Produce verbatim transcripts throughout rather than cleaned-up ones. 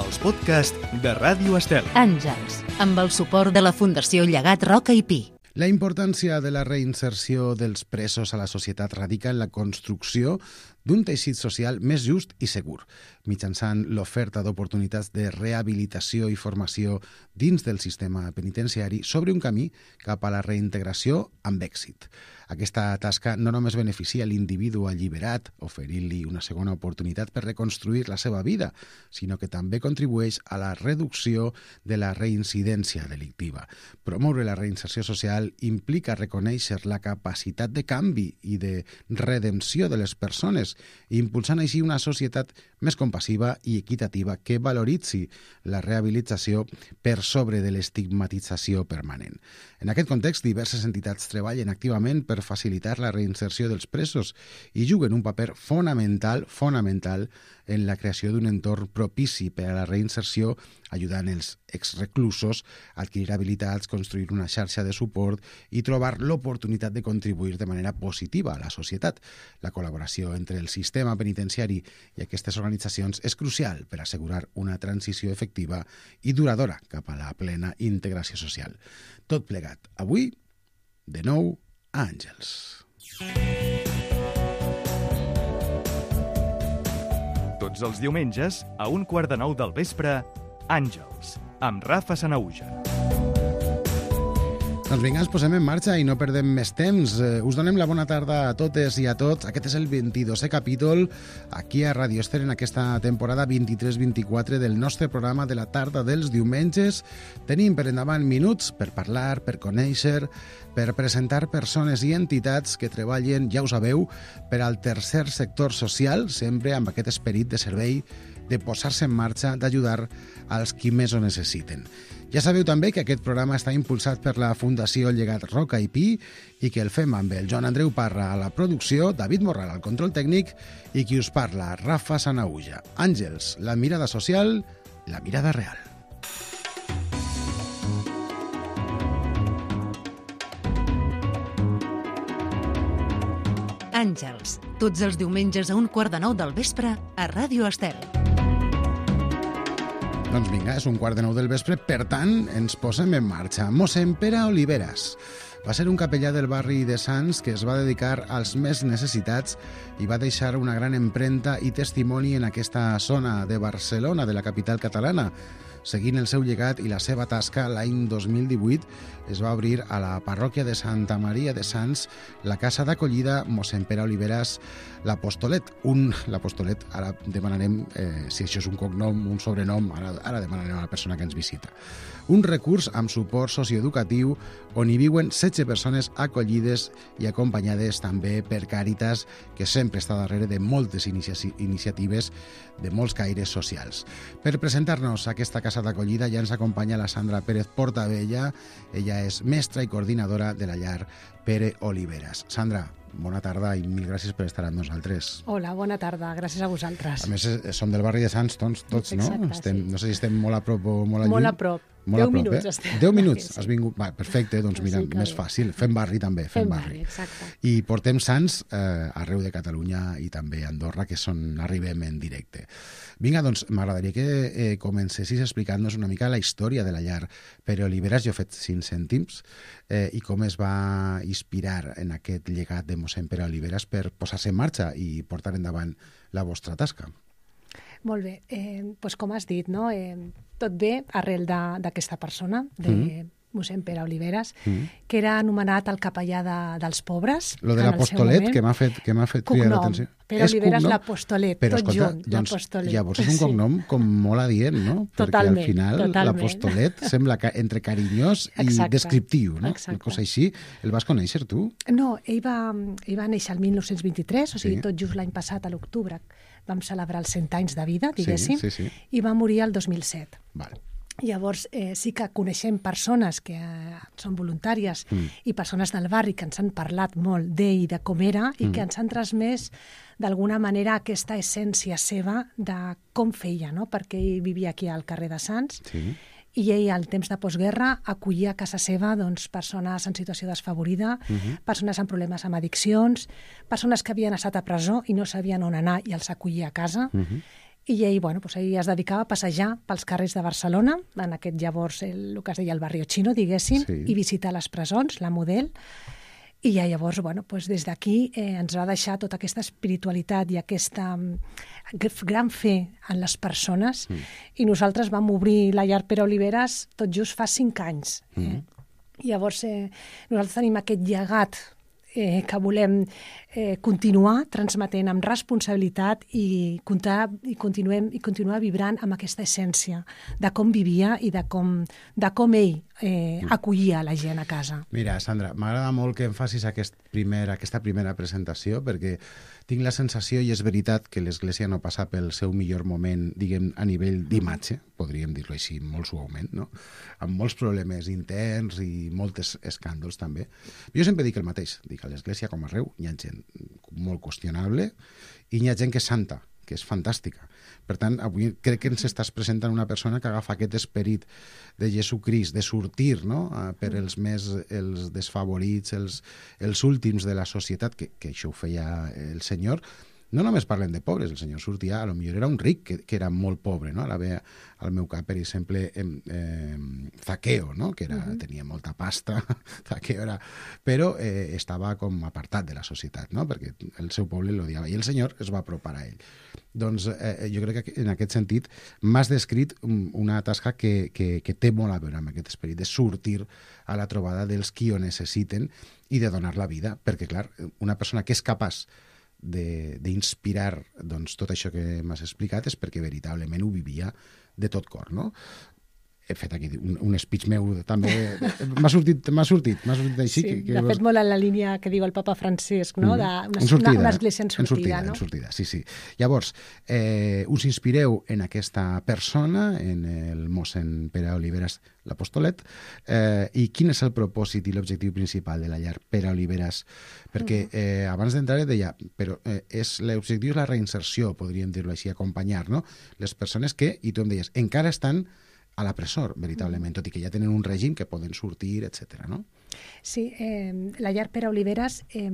els podcasts de Ràdio Estel. Àngels, amb el suport de la Fundació Llegat Roca i Pi. La importància de la reinserció dels presos a la societat radica en la construcció d'un teixit social més just i segur, mitjançant l'oferta d'oportunitats de rehabilitació i formació dins del sistema penitenciari sobre un camí cap a la reintegració amb èxit. Aquesta tasca no només beneficia l'individu alliberat, oferint-li una segona oportunitat per reconstruir la seva vida, sinó que també contribueix a la reducció de la reincidència delictiva. Promoure la reinserció social implica reconèixer la capacitat de canvi i de redempció de les persones, impulsant així una societat més compassiva i equitativa que valoritzi la rehabilitació per sobre de l'estigmatització permanent. En aquest context, diverses entitats treballen activament per facilitar la reinserció dels presos i juguen un paper fonamental, fonamental en la creació d'un entorn propici per a la reinserció, ajudant els exreclusos a adquirir habilitats, construir una xarxa de suport i trobar l'oportunitat de contribuir de manera positiva a la societat. La col·laboració entre el sistema penitenciari i aquestes organitzacions és crucial per assegurar una transició efectiva i duradora cap a la plena integració social. Tot plegat, avui, de nou, a Àngels. Tots els diumenges, a un quart de nou del vespre, Àngels, amb Rafa Sanahuja. Doncs vinga, ens posem en marxa i no perdem més temps. Eh, us donem la bona tarda a totes i a tots. Aquest és el vint-i-dosè capítol aquí a Radio Estel en aquesta temporada vint-i-tres vint-i-quatre del nostre programa de la tarda dels diumenges. Tenim per endavant minuts per parlar, per conèixer, per presentar persones i entitats que treballen, ja ho sabeu, per al tercer sector social, sempre amb aquest esperit de servei, de posar-se en marxa, d'ajudar als qui més ho necessiten. Ja sabeu també que aquest programa està impulsat per la Fundació Llegat Roca i Pi i que el fem amb el Joan Andreu Parra a la producció, David Morral al control tècnic i qui us parla, Rafa Sanahuja. Àngels, la mirada social, la mirada real. Àngels, tots els diumenges a un quart de nou del vespre a Ràdio Estel. Doncs vinga, és un quart de nou del vespre, per tant, ens posem en marxa. Mossèn Pere Oliveras va ser un capellà del barri de Sants que es va dedicar als més necessitats i va deixar una gran empremta i testimoni en aquesta zona de Barcelona, de la capital catalana. Seguint el seu llegat i la seva tasca, l'any dos mil divuit es va obrir a la parròquia de Santa Maria de Sants la casa d'acollida Mossèn Pere Oliveras l'Apostolet. Un, l'Apostolet, ara demanarem eh, si això és un cognom, un sobrenom, ara, ara demanarem a la persona que ens visita. Un recurs amb suport socioeducatiu on hi viuen setze persones acollides i acompanyades també per Càritas, que sempre està darrere de moltes inici- iniciatives de molts caires socials. Per presentar-nos a aquesta casa d'acollida ja ens acompanya la Sandra Pérez Portabella. Ella és mestra i coordinadora de la llar Pere Oliveras. Sandra, bona tarda i mil gràcies per estar amb nosaltres. Hola, bona tarda, gràcies a vosaltres. A més, som del barri de Sants, tots, tots no? Exacte, estem, sí. No sé si estem molt a prop o molt a lluny. Molt a prop. Molt Deu a prop, minuts eh? estem. Deu minuts, Sí. has vingut. Va, perfecte, doncs mira, Sí que més bé. fàcil. Fem barri també, fem, Fem barri. barri, exacte. I portem Sants eh, arreu de Catalunya i també a Andorra, que és on arribem en directe. Vinga, doncs m'agradaria que eh, comencessis explicant-nos una mica la història de la llar Pere Oliveras. Jo he fet cinc cèntims eh, i com es va inspirar en aquest llegat de mossèn Pere Oliveras per posar-se en marxa i portar endavant la vostra tasca. Molt bé, eh, doncs com has dit, no? eh, tot ve arrel de- d'aquesta persona, de Mm. mossèn Pere Oliveras, Mm. que era anomenat el capellà de, dels pobres. Lo de en el seu l'apostolet, moment. que m'ha fet, que m'ha fet cridar Cognom. l'atenció. Pere És Oliveras cognom? l'Apostolet, Però, tot escolta, junt, doncs, l'Apostolet. llavors és un Sí. cognom com molt adient, no? Totalment, Perquè al final totalment. l'Apostolet sembla que entre carinyós i Exacte, descriptiu, no? exacte. Una cosa així. El vas conèixer tu? No, ell va, ell va néixer el mil nou-cents vint-i-tres, o sigui, Sí. tot just l'any passat, a l'octubre, vam celebrar els cent anys de vida, diguéssim, Sí, sí, sí. i va morir el dos mil set. Vale. Llavors, eh, sí que coneixem persones que eh, són voluntàries Mm. i persones del barri que ens han parlat molt d'ell i de com era i Mm. que ens han transmès d'alguna manera aquesta essència seva de com feia, no? Perquè ell vivia aquí al carrer de Sants Sí. i ell, al temps de postguerra, acollia a casa seva doncs, persones en situació desfavorida, Mhm. persones amb problemes amb addiccions, persones que havien estat a presó i no sabien on anar i els acollia a casa. Mhm. I ell, bueno, doncs ell es dedicava a passejar pels carrers de Barcelona, en aquest llavors el, el que es deia el barrio chino, diguéssim, Sí. i visitar les presons, la Model, i ja llavors, bueno, doncs des d'aquí eh, ens va deixar tota aquesta espiritualitat i aquesta mm, gran fe en les persones, mm. i nosaltres vam obrir la llar Pere Oliveres tot just fa cinc anys. Eh? Mm. Llavors, eh, nosaltres tenim aquest llegat eh, que volem eh, continuar transmetent amb responsabilitat i, comptar, i, continuem, i continuar vibrant amb aquesta essència de com vivia i de com, de com ell eh, acollia la gent a casa. Mira, Sandra, m'agrada molt que em facis aquest primer, aquesta primera presentació, perquè tinc la sensació, i és veritat, que l'Església no passa pel seu millor moment, diguem, a nivell d'imatge, podríem dir-ho així molt suaument, no? Amb molts problemes interns i molts escàndols també. Jo sempre dic el mateix, dic a l'Església com arreu, hi ha gent molt qüestionable i hi ha gent que és santa, que és fantàstica. Per tant, avui crec que ens estàs presentant una persona que agafa aquest esperit de Jesucrist, de sortir, no?, per els més els desfavorits, els, els últims de la societat, que, que això ho feia el Senyor. No només parlem de pobres, el senyor sortia, a lo millor era un ric que, que era molt pobre, no? Ara ve al meu cap, per exemple, eh, eh, Zaqueo, no? Que era, uh-huh. tenia molta pasta, Zaqueo era... Però eh, estava com apartat de la societat, no? Perquè el seu poble l'odiava, i el senyor es va apropar a ell. Doncs eh, jo crec que en aquest sentit m'has descrit una tasca que, que, que té molt a veure amb aquest esperit, de sortir a la trobada dels qui ho necessiten i de donar la vida, perquè, clar, una persona que és capaç d'inspirar doncs, tot això que m'has explicat és perquè veritablement ho vivia de tot cor, no? He fet aquí un, un speech meu també, m'ha sortit, m'ha sortit, m'ha sortit així. Sí, que, que de fet molt en la línia que diu el papa Francesc, no? De una, en sortida, una, una església en sortida, en sortida, no? En sortida, sí, sí. Llavors, eh, us inspireu en aquesta persona, en el mossèn Pere Oliveres, l'Apostolet, eh, i quin és el propòsit i l'objectiu principal de la llar Pere Oliveres? Perquè eh, abans d'entrar deia, però eh, és l'objectiu és la reinserció, podríem dir-ho així, acompanyar, no?, les persones que, i tu em deies, encara estan a la presó, veritablement, tot i que ja tenen un règim que poden sortir, etcètera, no? Sí, eh, la llar Pere Oliveres, eh,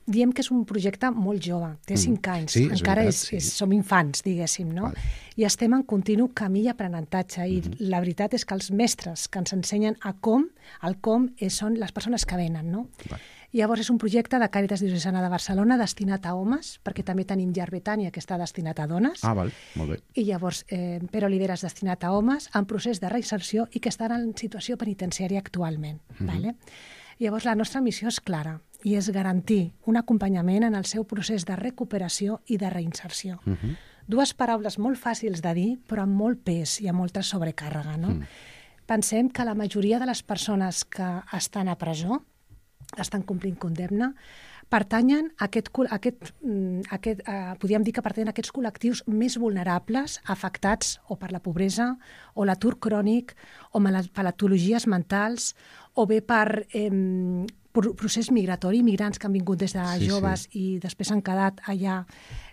diem que és un projecte molt jove, té cinc mm. anys, sí, és encara veritat, és, sí. és, som infants, diguéssim, no? Vale. I estem en continu camí d'aprenentatge, i mm-hmm. la veritat és que els mestres que ens ensenyen a com, el com és, són les persones que venen, no? Vale. Llavors és un projecte de Càritas Diocesana de Barcelona destinat a homes, perquè també tenim Llar Betània, que està destinat a dones. Ah, val, molt bé. I llavors eh, Pere Oliveres destinat a homes en procés de reinserció i que estan en situació penitenciària actualment. Mm-hmm. Vale? Llavors la nostra missió és clara i és garantir un acompanyament en el seu procés de recuperació i de reinserció. Mm-hmm. Dues paraules molt fàcils de dir, però amb molt pes i amb molta sobrecàrrega, no? Mm. Pensem que la majoria de les persones que estan a presó, estan complint condemna, pertanyen a aquest, a aquest, a aquest uh, podríem dir que pertanyen a aquests col·lectius més vulnerables, afectats o per la pobresa, o l'atur crònic, o per patologies mentals, o bé per eh, procés migratori, migrants que han vingut des de sí, joves sí. i després han quedat allà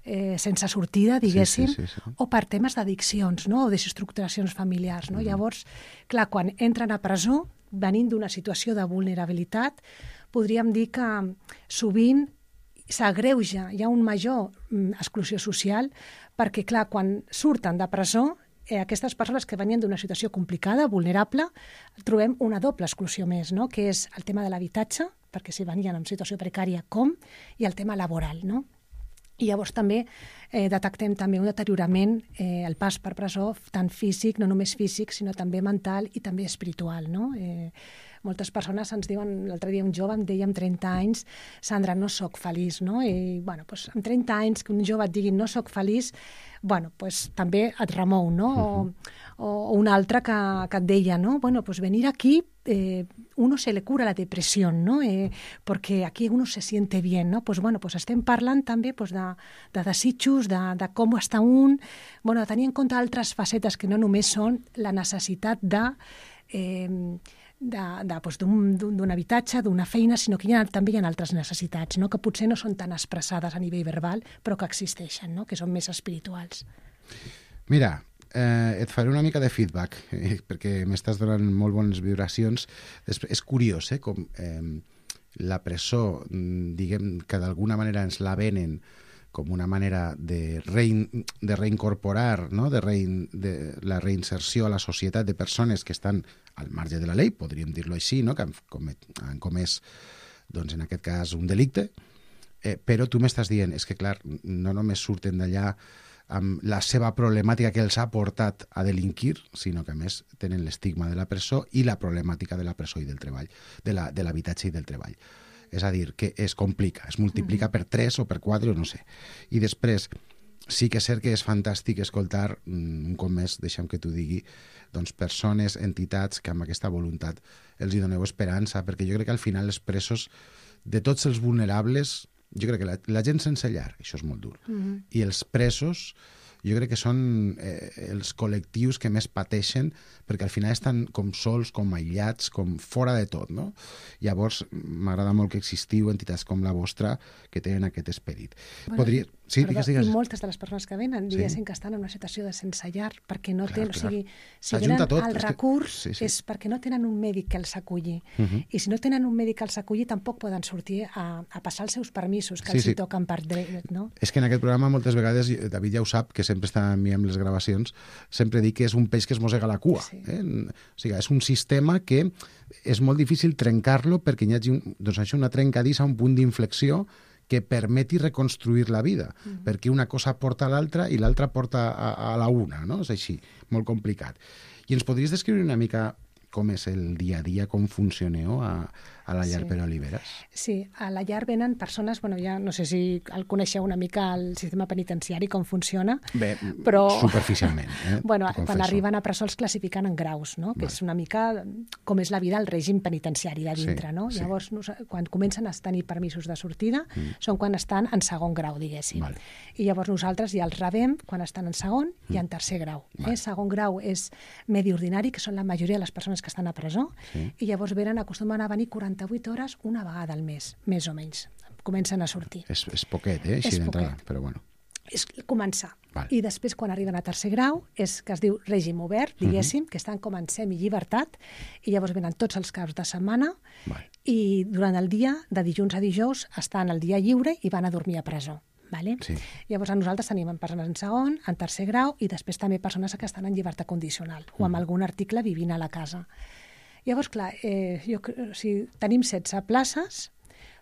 eh, sense sortida, diguéssim, sí, sí, sí, sí. o per temes d'addiccions, no? O desestructuracions familiars. No? Mm. Llavors, clar, quan entren a presó, venint d'una situació de vulnerabilitat, podríem dir que sovint s'agreuja, hi ha un major mm, exclusió social, perquè, clar, quan surten de presó, eh, aquestes persones que venien d'una situació complicada, vulnerable, trobem una doble exclusió més, no?, que és el tema de l'habitatge, perquè si venien en situació precària com, i el tema laboral, no? I llavors també eh, detectem també un deteriorament, eh, el pas per presó, tant físic, no només físic, sinó també mental i també espiritual, no? Eh, moltes persones ens diuen, l'altre dia un jove em deia amb trenta anys, Sandra, no sóc feliç, no? I, bueno, doncs, amb trenta anys que un jove et digui no sóc feliç, bueno, pues, també et remou, no? Uh-huh. O, o un altre que, que et deia, no? Bueno, pues venir aquí, eh, uno se le cura la depresión, ¿no? Eh, porque aquí uno se siente bien, ¿no? Pues, bueno, pues estem parlant també pues, de, de desitjos, de, de com està un, bueno, de tenir en compte altres facetes que no només són la necessitat de... Eh, de, de, doncs, d'un, d'un habitatge, d'una feina, sinó que hi ha, també hi ha altres necessitats, no? Que potser no són tan expressades a nivell verbal, però que existeixen, no? Que són més espirituals. Mira, eh, et faré una mica de feedback, eh, perquè m'estàs donant molt bones vibracions. Després, és curiós, eh, com eh, la presó, diguem que d'alguna manera ens la venen com una manera de, rein, de reincorporar, no? de, rein, de la reinserció a la societat de persones que estan al marge de la llei, podríem dir-lo així, no? que han, comet, han comès, doncs, en aquest cas, un delicte, eh, però tu m'estàs dient, és que clar, no només surten d'allà amb la seva problemàtica que els ha portat a delinquir, sinó que a més tenen l'estigma de la presó i la problemàtica de la presó i del treball, de la, de l'habitatge i del treball. És a dir, que es complica, es multiplica per tres o per quatre o no sé. I després, sí que és cert que és fantàstic escoltar, un cop més, deixa'm que t'ho digui, doncs persones, entitats que amb aquesta voluntat els hi doneu esperança, perquè jo crec que al final els presos, de tots els vulnerables, jo crec que la, la gent sense llar, això és molt dur, mm-hmm. i els presos, jo crec que són eh, els col·lectius que més pateixen perquè al final estan com sols, com aïllats, com fora de tot, no? Llavors, m'agrada molt que existiu entitats com la vostra que tenen aquest esperit. Bueno, Podria... Sí, perdó, digues, digues. I moltes de les persones que venen diguessin sí. que estan en una situació de sense llar perquè no clar, tenen... clar. O sigui, si venen tot, al recurs que... sí, sí. és perquè no tenen un mèdic que els aculli. Uh -huh. I si no tenen un mèdic que els aculli tampoc poden sortir a, a passar els seus permisos que sí, els sí. hi toquen per dret, no? És que en aquest programa moltes vegades, David ja ho sap, que sempre està amb mi amb les gravacions, sempre dic que és un peix que es mossega la cua. Sí. Eh? O sigui, és un sistema que és molt difícil trencar-lo perquè hi hagi un, doncs això, una trencadissa, un punt d'inflexió que permeti reconstruir la vida, mm. perquè una cosa porta a l'altra i l'altra porta a, a la una, no? És així, molt complicat. I ens podries descriure una mica com és el dia a dia, com funcioneu a, a la llar sí. per Oliveres? Sí, a la llar venen persones, bueno, ja no sé si el coneixeu una mica el sistema penitenciari, com funciona, Bé, però... superficialment. Eh? bueno, quan arriben a presó els classifiquen en graus, no? Que vale. És una mica com és la vida al règim penitenciari de dintre, sí, no? Sí. Llavors, quan comencen a tenir permisos de sortida, mm. són quan estan en segon grau, diguéssim. Vale. I llavors nosaltres ja els rebem quan estan en segon mm. i en tercer grau. Vale. Eh? Segon grau és medi ordinari, que són la majoria de les persones que estan a presó, sí. i llavors venen, acostumen a venir quaranta-vuit hores una vegada al mes, més o menys. Comencen a sortir. És, és poquet, eh? Així d'entrada, però bueno. És començar. Vale. I després, quan arriben a tercer grau, és que es diu règim obert, diguéssim, uh -huh. que estan com en semillibertat, i llavors venen tots els caps de setmana, vale. I durant el dia, de dilluns a dijous, estan al dia lliure i van a dormir a presó. Vale? Sí. Llavors, a nosaltres tenim persones en segon, en tercer grau, i després també persones que estan en llibertat condicional, uh -huh. o amb algun article vivint a la casa. Llavors, clar, eh, jo, o sigui, tenim setze places,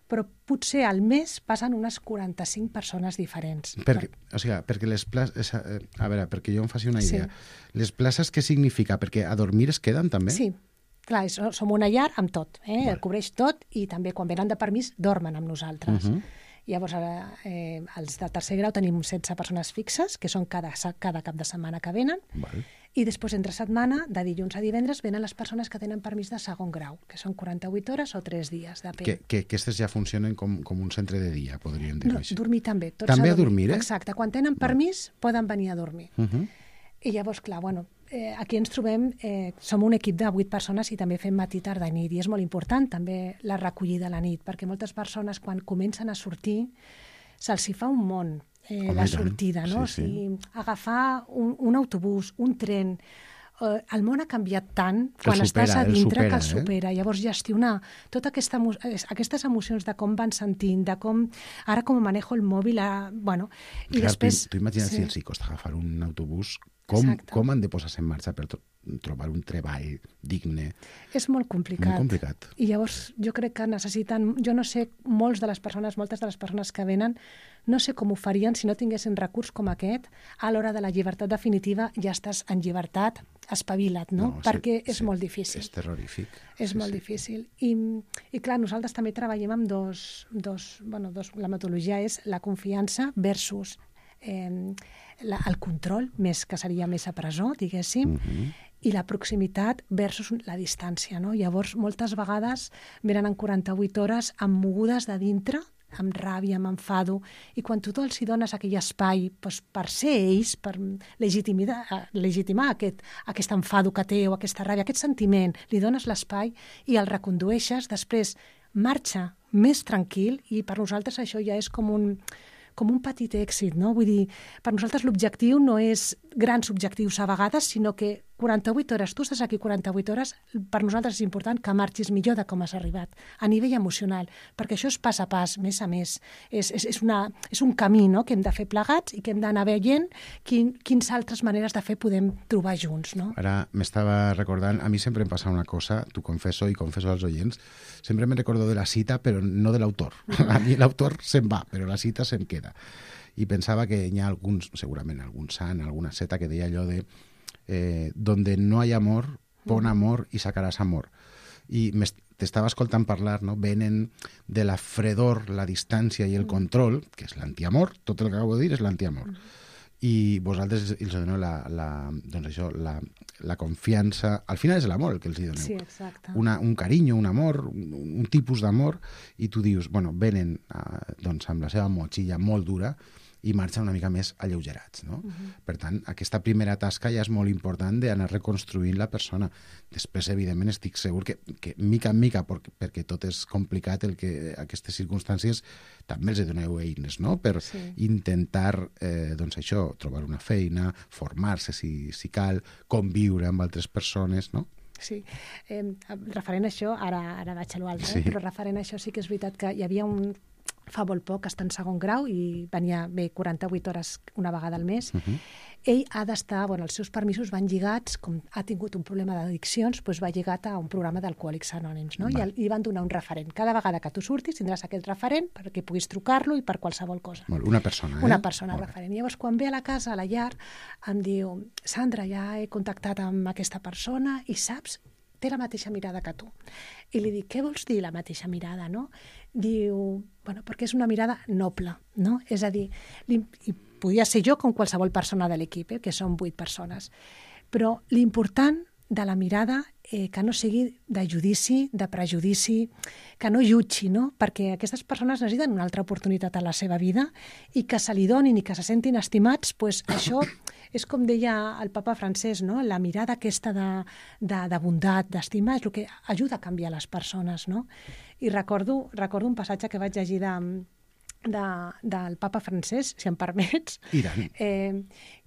però potser al mes passen unes quaranta-cinc persones diferents. Perquè, o sigui, perquè les places... A veure, perquè jo em faci una idea. Sí. Les places què significa? Perquè a dormir es queden també? Sí, clar, és, som una llar amb tot, eh? Vale. Cobreix tot, i també quan venen de permís dormen amb nosaltres. Uh -huh. Llavors, ara, eh, els de tercer grau tenim setze persones fixes, que són cada, cada cap de setmana que venen, val. I després, entre setmana, de dilluns a divendres, venen les persones que tenen permís de segon grau, que són quaranta-vuit hores o tres dies, depèn. Que, que aquestes ja funcionen com, com un centre de dia, podríem dir-ho no, així. Dormir també. Tots també a dormir, a dormir, eh? Exacte, quan tenen permís val. Poden venir a dormir. Uh -huh. I llavors, clar, bueno, eh, aquí ens trobem, eh, som un equip de vuit persones i també fem matí, tarda i nit, i és molt important també la recollida a la nit, perquè moltes persones, quan comencen a sortir, se'ls hi fa un món, eh, la sortida, no? Sí, sí. O sigui, agafar un, un autobús, un tren... Eh, el món ha canviat tant quan supera, estàs a dintre el supera, que el supera. Eh? Llavors, gestionar totes aquesta, aquestes emocions de com van sentint, de com... Ara com manejo el mòbil, a, bueno... I clar, després... Tu, tu imagina't sí. si els hi costa agafar un autobús, com, com han de posar-se en marxa per tro trobar un treball digne? És molt complicat. Molt complicat. I llavors jo crec que necessiten... Jo no sé, molts de les persones, moltes de les persones que venen, no sé com ho farien si no tinguessin recurs com aquest. A l'hora de la llibertat definitiva ja estàs en llibertat, espavila't, no? no Perquè sí, és sí, molt difícil. És terrorífic. És sí, molt sí. difícil. I, I clar, nosaltres també treballem amb dos... dos, bueno, dos la metodologia és la confiança versus eh, la, el control, més que seria més a presó, diguéssim, uh-huh. i la proximitat versus la distància, no? Llavors, moltes vegades venen en quaranta-vuit hores amb mogudes de dintre, amb ràbia, amb enfado, i quan tu els hi dones aquell espai doncs, per ser ells, per legitimar aquest, aquest enfado que té o aquesta ràbia, aquest sentiment, li dones l'espai i el recondueixes, després marxa més tranquil, i per nosaltres això ja és com un, com un petit èxit, no? Vull dir, per nosaltres l'objectiu no és grans objectius a vegades, sinó que quaranta-vuit hores, tu estàs aquí quaranta-vuit hores, per nosaltres és important que marxis millor de com has arribat, a nivell emocional, perquè això és pas a pas, mes a mes. És, és, és, una, és un camí, no?, que hem de fer plegats i que hem d'anar veient quin, quins altres maneres de fer podem trobar junts, no? Ara m'estava recordant, a mi sempre em passa una cosa, t'ho confesso i confesso als oients, sempre me recordo de la cita, però no de l'autor. A mi l'autor se'n va, però la cita se'm queda. I pensava que hi ha alguns, segurament algun sant, alguna seta que deia allò de eh, donde no hay amor, pon amor i sacaràs amor. I t'estava escoltant parlar, no? Venen de la fredor, la distància i el control, que és l'antiamor, tot el que acabo de dir és l'antiamor. I vosaltres els doneu la, la, doncs això, la, la confiança, al final és l'amor el que els doneu. Sí, exacte. Una, un carinyo, un amor, un, un tipus d'amor, i tu dius, bueno, venen uh, doncs, amb la seva motxilla molt dura i marxen una mica més alleugerats, no? Uh-huh. Per tant, aquesta primera tasca ja és molt important d'anar reconstruint la persona. Després, evidentment, estic segur que, que mica en mica, perquè, perquè tot és complicat, el que aquestes circumstàncies també els doneu eines, no?, per sí. intentar, eh, doncs això, trobar una feina, formar-se si, si cal, conviure amb altres persones, no? Sí, eh, referent a això, ara, ara vaig a l'altre, sí. eh? però referent a això sí que és veritat que hi havia un... fa molt poc, està en segon grau i venia bé quaranta-vuit hores una vegada al mes. Uh-huh. Ell ha d'estar, bueno, els seus permisos van lligats, com ha tingut un problema d'addiccions, doncs va lligat a un programa d'Alcohòlics Anònims, no? I li van donar un referent. Cada vegada que tu surtis tindràs aquest referent perquè puguis trucar-lo i per qualsevol cosa. Molt, una persona, eh? Una persona referent. I llavors, quan ve a la casa, a la llar, em diu, Sandra, ja he contactat amb aquesta persona i saps, té la mateixa mirada que tu. I li dic, què vols dir la mateixa mirada, no? Diu, bueno, perquè és una mirada noble, no? És a dir, li, i podia ser jo com qualsevol persona de l'equip, eh, que són vuit persones, però l'important de la mirada eh, que no sigui de judici, de prejudici, que no jutgi, no? Perquè aquestes persones necessiten una altra oportunitat a la seva vida i que se li donin i que se sentin estimats, pues això és com deia el papa francès, no? La mirada aquesta de, de, de bondat, d'estima, és el que ajuda a canviar les persones, no? I recordo, recordo un passatge que vaig llegir de, de, del papa francès, si em permets, eh,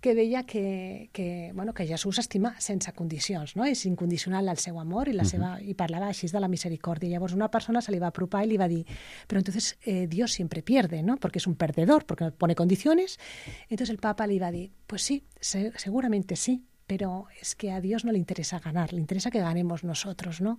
que deia que, que, bueno, que Jesús estima sense condicions, no? És incondicional el seu amor i, la seva, uh-huh. i parlava així de la misericòrdia. Llavors una persona se li va apropar i li va dir, però entonces eh, Dios siempre pierde, ¿no? Porque es un perdedor, porque no pone condiciones. Entonces el Papa le iba a dir, pues sí, se, seguramente sí, però és que a Dios no li interessa ganar, li interessa que ganemos nosotros, ¿no?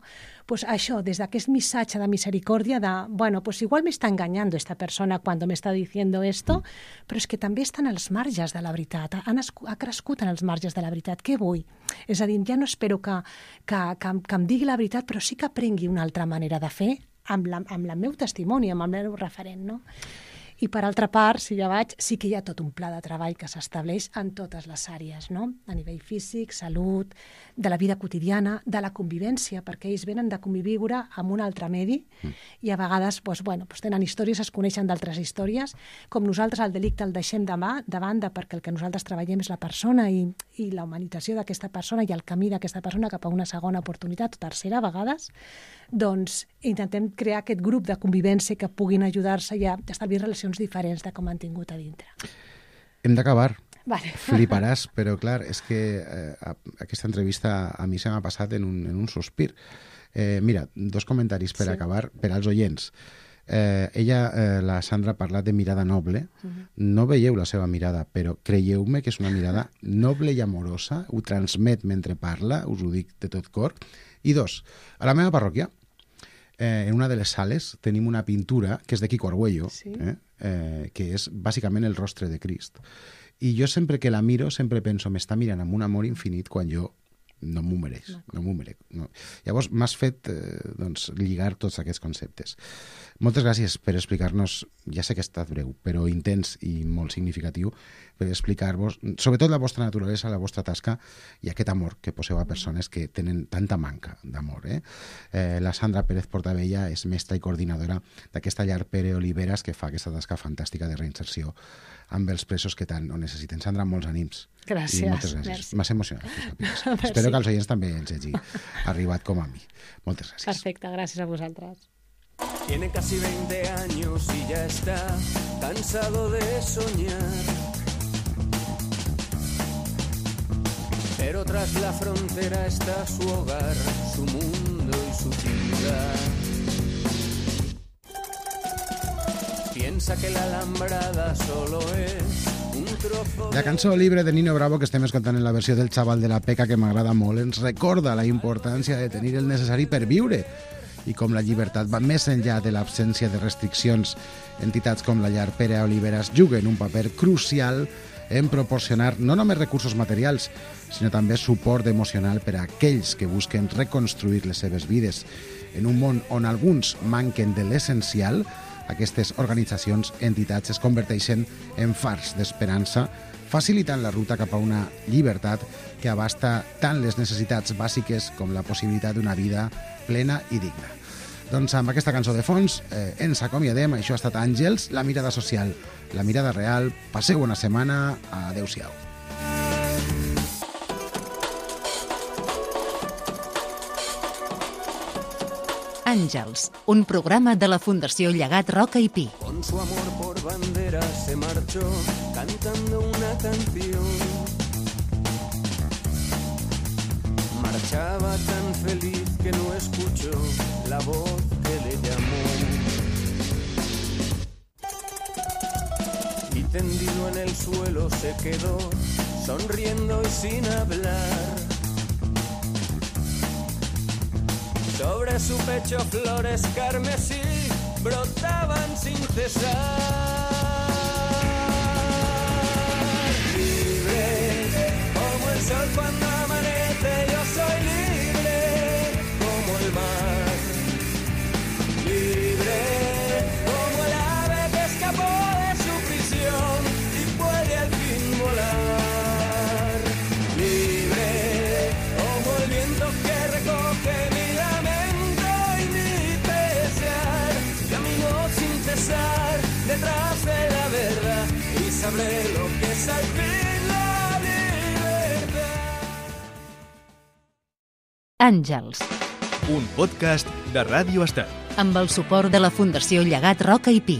Pues això, des d'aquest missatge de misericòrdia de, bueno, pues igual me está engañando esta persona cuando me está diciendo esto, però és que també estan als marges de la veritat, ha, ha crescut en els marges de la veritat. Què vull? És a dir, ja no espero que, que, que, que em digui la veritat, però sí que aprengui una altra manera de fer amb, la, amb el meu testimoni, amb el meu referent, no? I per altra part, si ja vaig, sí que hi ha tot un pla de treball que s'estableix en totes les àrees, no? A nivell físic, salut, de la vida quotidiana, de la convivència, perquè ells venen de conviure amb un altre medi mm. i a vegades doncs, bueno, doncs tenen històries, es coneixen d'altres històries, com nosaltres el delicte el deixem de, mà, de banda perquè el que nosaltres treballem és la persona i, i la humanització d'aquesta persona i el camí d'aquesta persona cap a una segona oportunitat, o tercera a vegades, doncs intentem crear aquest grup de convivència que puguin ajudar-se i a establir relacions diferents de com han tingut a dintre. Hem d'acabar. Vale. Fliparàs, però clar, és que eh, aquesta entrevista a mi se m'ha passat en un, en un sospir. Eh, mira, dos comentaris per sí. acabar, per als oients. Eh, ella, eh, la Sandra, ha parlat de mirada noble. Uh-huh. No veieu la seva mirada, però creieu-me que és una mirada noble i amorosa, ho transmet mentre parla, us ho dic de tot cor. I dos, a la meva parròquia, eh, en una de les sales, tenim una pintura que és de Quico Argüello, sí. eh, eh, que és bàsicament el rostre de Crist. I jo sempre que la miro, sempre penso, m'està mirant amb un amor infinit quan jo no m'ho mereix. No m'ho mereix. No. Llavors m'has fet eh, doncs, lligar tots aquests conceptes. Moltes gràcies per explicar-nos, ja sé que ha estat breu, però intens i molt significatiu, per explicar-vos, sobretot la vostra naturalesa, la vostra tasca i aquest amor que poseu a persones que tenen tanta manca d'amor. Eh? Eh, la Sandra Pérez Portabella és mestra i coordinadora d'aquesta llar Pere Oliveras que fa aquesta tasca fantàstica de reinserció amb els presos que tant ho necessiten. Sandra, molts ànims. Gràcies. I moltes gràcies. M'has emocionat. Espero que als oients també els hagi arribat com a mi. Moltes gràcies. Perfecte, gràcies a vosaltres. Tiene casi veinte años y ya está cansado de soñar. pero tras la frontera está su hogar, su mundo y su ciudad. Piensa que la Alambrada solo es un trozo... La cançó Libre de Nino Bravo que estem escoltant en la versió del Xaval de la Peca, que m'agrada molt, ens recorda la importància de tenir el necessari per viure i com la llibertat va més enllà de l'absència de restriccions. Entitats com la Llar Pere Oliveras juguen un paper crucial en proporcionar no només recursos materials, sinó també suport emocional per a aquells que busquen reconstruir les seves vides. En un món on alguns manquen de l'essencial, aquestes organitzacions, entitats, es converteixen en fars d'esperança, facilitant la ruta cap a una llibertat que abasta tant les necessitats bàsiques com la possibilitat d'una vida plena i digna. Doncs amb aquesta cançó de fons eh, ens acomiadem. Això ha estat Àngels, la mirada social, la mirada real. Passeu una setmana. Adéu-siau. Àngels, un programa de la Fundació Llegat Roca i Pi. Con su amor por bandera se marchó cantando una canción. Marchaba tan feliz que no escuchó la voz que le llamó. Y tendido en el suelo se quedó, sonriendo y sin hablar. Sobre su pecho flores carmesí brotaban sin cesar. Libre como el sol cuando amanece, yo soy libre como el mar. Libre como el ave que escapó de su prisión y puede al fin volar. Libre como el viento que recoge mi lamento y mi pesar. Camino sin cesar detrás de la verdad y sabré lo que es al fin la libertad. Àngels, Un podcast de Ràdio Estat. amb el suport de la Fundació Llegat Roca i Pi.